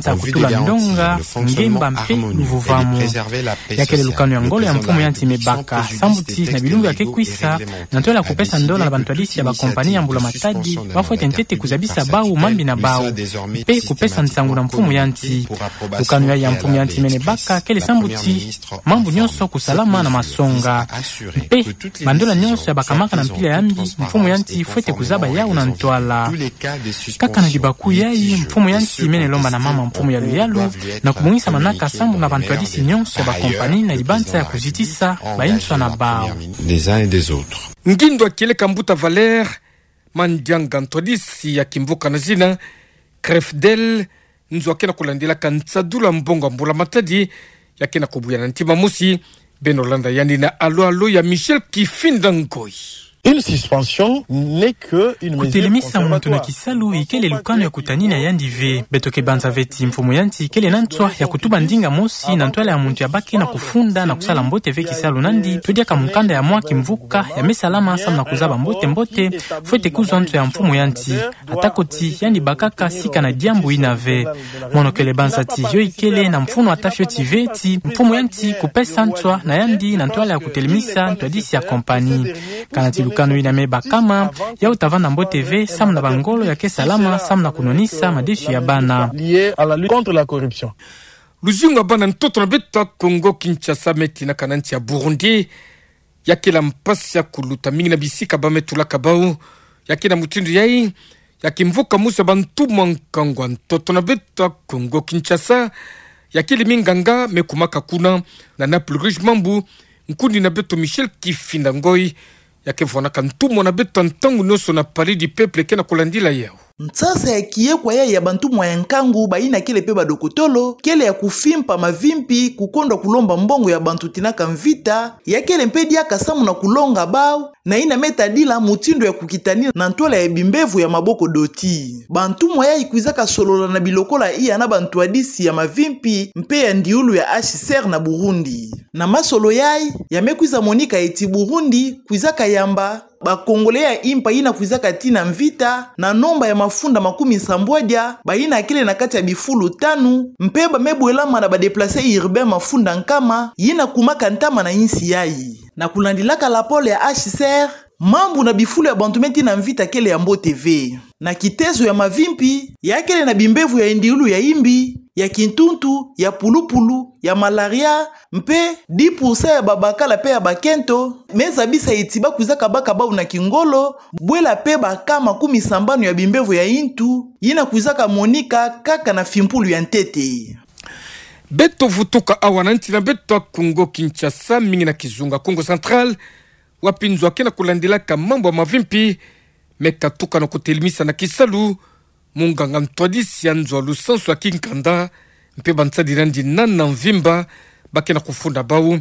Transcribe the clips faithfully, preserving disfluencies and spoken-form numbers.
libanza ya kutula ndonga, ngemba mpe luvuvamu. Ya kele lukanu ya ngolo ya mfumu ya nsi me baka, sambu ti na bilumbu ya ke kwisa, na ntwala ya kupesa ndola na bantwadisi ya bakompani ya mbula-matadi, ba fwete ntete kuzabisa bau mambi na bau, mpe kupesa nsangu na mfumu ya nsi. Lukanu yayi ya mfumu ya nsi mene baka kele sambu ti mambu nyonso kusalama na masonga. Mpe bandola nyonso ya bakamaka na mpila ya mbi, mfumu ya nsi fwete kuzaba yau na ntwala. Kaka na libaku yayi, mfumu ya nsi mene lomba na mama mfumu ya luyalu na kumongisa manaka sambu na bantwadisi nyonso ya bakompani na libanza ya kuzitisa bayinswa na bau. Ngindo ya kieleka mbuta Valère Mandianga, ntwadisi ya kimvuka na zina Crefdel, nzo a ke na kulandilaka nsadulu ya mbongo ya mbula-matadi, ya ke na kubuya na ntima mosi, beno landa yandi na alo-alo ya Michel Kifinda Ngoyi. Une suspension n'est que une mesure conservatoire. Kutelemisa muntu na kisalu ikele lukanu ya kutanina yandi ve. Beto ke banza ve ti mfumu ya nsi kele na nswa ya kutuba ndinga mosi na ntwala ya muntu ya bake na kufunda na kusala mbote ve kisalu nandi, to diaka mukanda ya mwa kimvuka ya me salama samu na kuzaba mbote-mbote, fwete kuzwa nswa ya mfumu ya nsi. Atako ti yandi bakaka sika na diambu yina ve. Mono kele banza ti yo ikele na mfunu ata fioti ve ti mfumu ya nsi kupesa nswa na yandi na ntwala ya kutelemisa ntwadisi ya kompani. Kana ti lukanu yina me bakama, yau ta vanda mbote ve samu na bangolo ya ke salama samu na kunwanisa madesu ya bana. Lié à la lutte contre la corruption. Luzingu ya bana ntoto na beto ya Congo Kinshasa me tinaka na nsi ya Burundi, ya kele mpasi ya kuluta mingi na bisika ba me tulaka bau. Ya ke na mutindu yayi, ya kimvuka mosi ya bantumwa nkangu ya ntoto na beto ya Congo Kinshasa, ya kele minganga me kumaka kuna. Na Naples Rouge Mambu, nkundi na beto Michel Kifinda Ngoyi, ya ke vwanaka ntumwa na beto ntangu nyonso na Palais du Peuple, ke na kulandila yau. Nsasa ya kiyekwa yayi ya bantumwa ya nkangu bayina kele mpe badokotolo kele ya kufimpa mavimpi, kukondwa kulomba mbongo ya bantu tinaka mvita, ya kele mpe diaka samu na kulonga bau na yina me tadila mutindu ya kukitanina na ntwala ya bimbevo ya maboko doti. Bantumwa yayi kwizaka solola na bilokola iya na bantwadisi ya mavimpi mpe ya ndiulu ya H C R na Burundi. Na masolo yayi, ya me kwiza monika eti Burundi kwizaka yamba ba Congolais ya impa yina kwizaka tina mvita na nomba ya mafunda makumi nsambwadia, bayina kele na kati ya bifulu tanu, mpe ba me bwelama na ba déplacés urbains mafunda nkama, yina kumaka ntama na insi yayi. Na kulandilaka lapole ya H C R, mambu na bifulu ya bantu me tina mvita kele ya mbote ve. na kitezo ya mavimpi, ya kele na bimbevo ya ndiulu ya imbi, ya kintuntu, ya pulupulu, ya malaria, mpe dix pour cent ya babakala mpe ya bakento me zabisa eti ba kwizaka baka bau na kingolo, bwela mpe baka makumi sambanu ya bimbevo ya intu, yina kwizaka monika kaka na fimpulu ya ntete. Beto vutuka awa na nti na beto ya Kongo Kinshasa, mingi na kizunga Kongo Central, wapi nzo ake na kulandilaka mambu ya mavimpi me katuka na kutelemisa na kisalu munganga ntwadisi ya nzo ya lusansu ya kinkanda, mpe bansadila ndi nana mvimba, ba ke na kufunda bau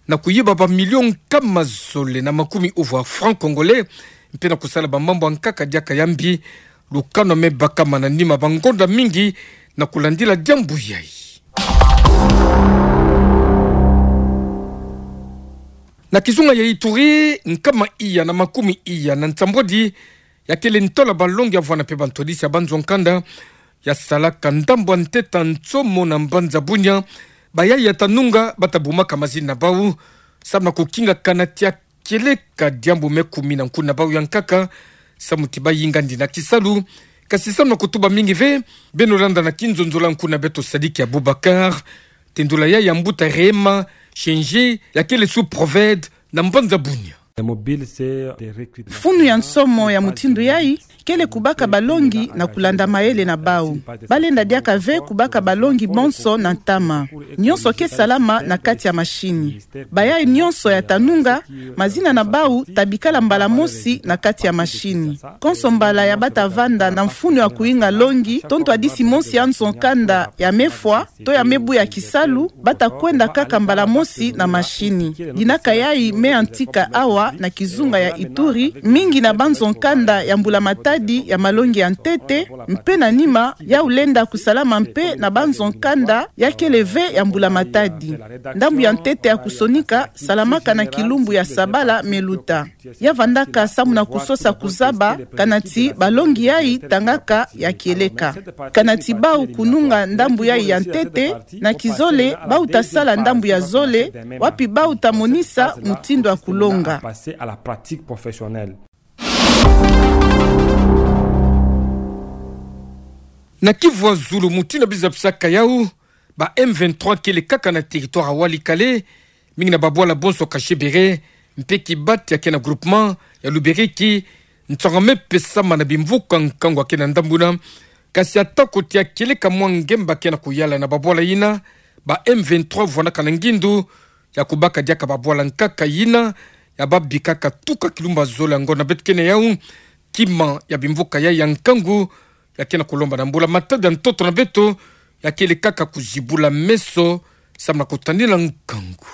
na kuyiba ba million nkama zole na makumi ovo ya francs congolais, mpe na kusala bamambu ya nkaka diaka ya mbi. Lukanu me bakama na nima bangonda mingi na kulandila diambu yayi. Na kizunga ya Ituri, nkama iya na makumi iya na nsambwadi ya kele ntola balongi ya vwanda mpe bantwadisi ya banzo nkanda ya salaka ndambu ya ntete ya nsomo na mbanza Bunia, bayayi ya ta nunga ba ta bumaka mazina na bau, samu na kukinga kana ti ya kieleka diambu me kumina nkuna bau ya nkaka, samu ti bayinga ndi na kisalu, kasi samu na kutuba mingi ve. Beno landa na kinzonzolo ya nkuna beto Sadiki Abubakar, tendula yayi ya mbuta Rehema Shenje, ya kele sous-proved na mbanza Bunia. Mfunu ya nsomo ya mutindu yayi kele kubaka balongi na kulanda mayele na bau. Ba lenda diaka ve kubaka balongi bonso na ntama. Nyonso ke salama na kati ya mashini. Bayayi nyonso ya ta nunga, mazina na bau ta bikala mbala mosi na kati ya mashini. Konso mbala ya ba ta vanda na mfunu ya kuyinga longi, to ntwadisi mosi ya nzo nkanda ya me fwa, to ya me buya kisalu, ba ta kwenda kaka mbala mosi na mashini. Dinaka yayi me yantika awa na kizunga ya Ituri, mingi na banzo nkanda ya mbula-matadi ya malongi ya ntete, mpe na nima, yawu lenda kusalama mpe na banzo nkanda ya kele ve ya mbula-matadi. Ndambu ya ntete ya kusonika salamaka na kilumbu ya sabala me luta. Ya vandaka samu na kusosa kuzaba kana ti balongi yayi tangaka ya kieleka. Kana ti bau kununga ndambu yayi ya ntete, na kizole bau ta sala ndambu ya zole, wapi bau ta monisa mutindu ya kulonga. Na Kivu ya zulu, mutindu biza bisaka yawu, ba M vingt-trois kele kaka na territoire ya Walikale, mingi na babwala bonso Kashebere, mpe Kibati ya ke na groupement ya Luberiki, nsangu me pesama na bimvuka nkangu ya ke na ndambu yina. Kasi atako ti ya kieleka mwa ngemba ke na kuyala na babwala yina, ba M vingt-trois vwanaka na ngindu ya kubaka diaka babwala nkaka yina ya babikaka tuka kilumba zole ya ngonda beto ke na yawu, kima ya bimvuka yayi ya nkangu, ya ke na kulomba na mbula-matadi ya ntoto na beto, ya kele kaka kuzibula meso, samu na kutandila nkangu.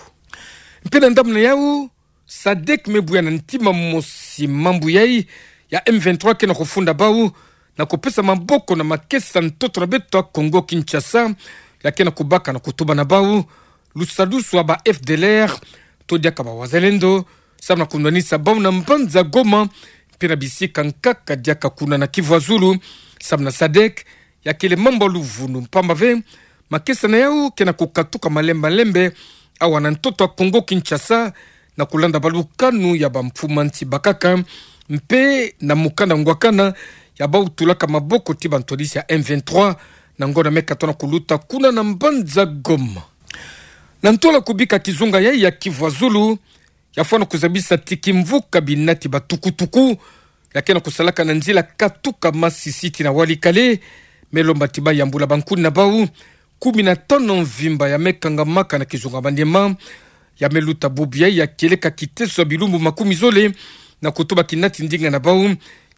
Mpe na ndambu na yawu, sadec me buya na ntima mosi mambu yayi ya M vingt-trois ke na kufunda bau, na kupesa maboko na makesa ntoto na beto ya Congo Kinshasa, ya ke na kubaka na kutuba na bau, lusadusu ya ba F D L R, to diaka ba wazalendo, samu na kunwanisa bau na mbanza Goma, mpe na bisika nkaka diaka kuna na Kivu ya zulu, samu na sadec, ya kele mambu ya luvunu mpamba ve, makesa na yawu ke na kukatuka malembe malembe, awa na ntoto ya Congo Kinshasa, na kulanda balukanu ya bamfumu nsi bakaka, mpe na mukanda ngwakana ya bau tulaka maboko ti bantwadisi ya M vingt-trois, na ngonda me katona kuluta kuna na mbanza Goma. Na ntola kubika kizunga yayi ya Kivu ya zulu, ya fwana kuzabisa ti kimvuka binati ba tukutuku, ya ke na kusalaka na nzila katuka Masisi tii na Walikale, me lomba ti bayambula bankuni na bau, kumi na tanu mvimba ya me kangamaka na kizunga Maniema, ya me luta bubu yayi ya kieleka kiteso ya bilumbu makumi zole, na kutuba kinati ndinga na bau,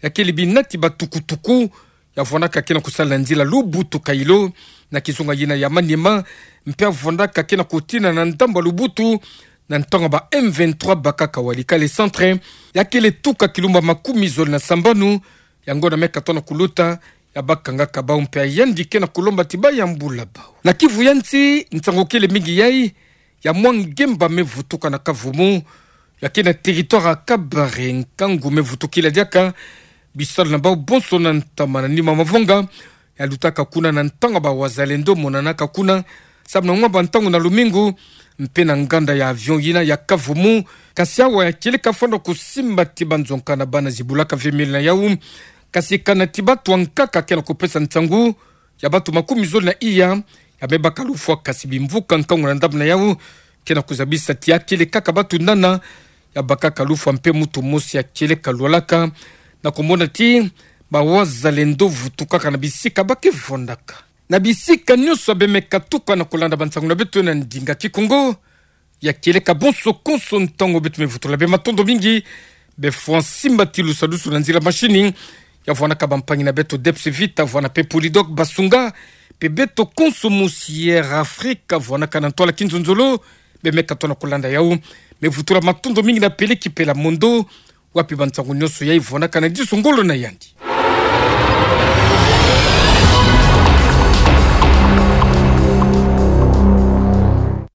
ya kele binati ba tukutuku, ya vwanaka ke na kusala na nzila Lubutu-Kailo, na kizunga yina ya Maniema, mpe ya vwanaka ke na kutina na ndambu ya Lubutu, na ntangu ba M vingt-trois bakaka Walikale centre, ya kele tuka kilumba makumi zole na sambanu, ya ngonda me katona kuluta, ya bakangaka bau mpe ya yandi ke na kulomba ti bayambula bau. Na Kivu ya nsi, nsangu kele mingi yayi, ya mwa ngemba me vutuka na Kavumu, ya ke na territoire ya Kabare, nkangu me vutukila diaka, bisalu na bau bonso na ntama na nima mavanga, ya lutaka kuna na ntangu ba wazalendo monanaka kuna, samu na ngwa ba ntangu na lumingu, mpe na nganda ya avion yina ya Kavumu, kasi awa ya kieleka fwana kusimba ti banzonka na bana zibulaka ve miel na yawu, Kasi kana ti bato ankaka ke na kupesa nsangu ya bato makumi zole na iya ya me baka lufwa, kasi bimvuka nkangu na ndambu na yau ke na kuzabisa ti akele kaka bato nana ya bakaka lufwa mpe moto mosi ya kieleka lwalaka, na kumona ti bawazalendo vutukaka na bisika ba ke vwandaka. Na bisika nyonso ya be me katuka na kulanda bansangu na beto na ndinga Kikongo, ya kieleka bonso konso ntango beto me vutula bê. Matondo mingi. Be fwa nsimbati lusadusu na nzila mashini ya vwanaka bampangi na beto Deps Vita, vwana mpe Polydok, Basunga, mpe beto konso mosi ya Air Afrique vwanaka na ntwala kinzonzolo, be me katoa na kulanda yau. Me vutula matondo mingi na Peleki Pela Mondo, wapi bansangu nyonso yayi vwanaka na diso ngolo na yandi.